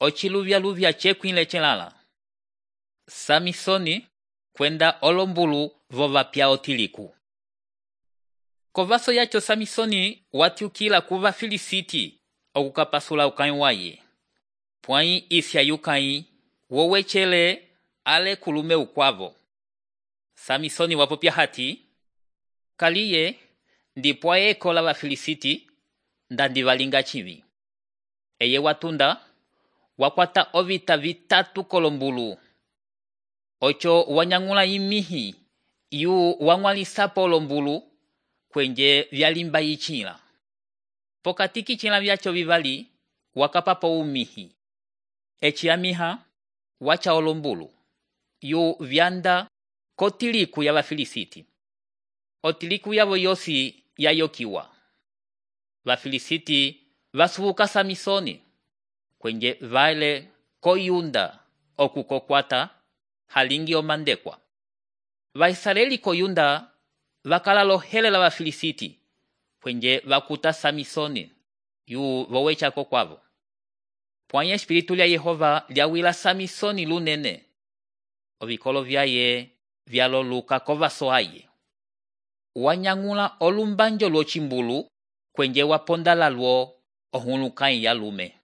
ociluvyaluvya cekwile celala. Samisoni kwenda olombulu vo vapya otiliku. Kovaso yacho Samisoni watyukila ku Vafilisiti okukapasula ukãyi waye. Pwãyi isya yukãyi wowecele ale kulume ukwavo. Samisoni wapopya hati, kaliye ndipo ayekola Vafilisiti ndandi valinga civi. Eye watunda wakwata ovita vitatu kolombulu. Ocho wanyangula imihi yu wang'walisapo olombulu kwenje vyalimba yichila. Pokati kicila vyacho vivali wakapapo umihi. Eci amiha wacha olombulu yu vyanda kotiliku ya Vafilisiti. Otiliku yavo yosi yayokiwa. Vafilisiti vasubuka Samisoni kwenje vale koyunda okukokwata halingi omandekwa. Vaisraeli koyunda vakala lohelela Vafilisiti kwenje vakuta Samisoni yu vowecha kokwavo. Pwãyi espiritu lya Yehova lyawila Samisoni lunene. Ovikolo vyaye vyaloluka kovaso aye. Wanyangula olumbanjo lwocimbulu kwenje waponda lalwo ohulukãyi yalume.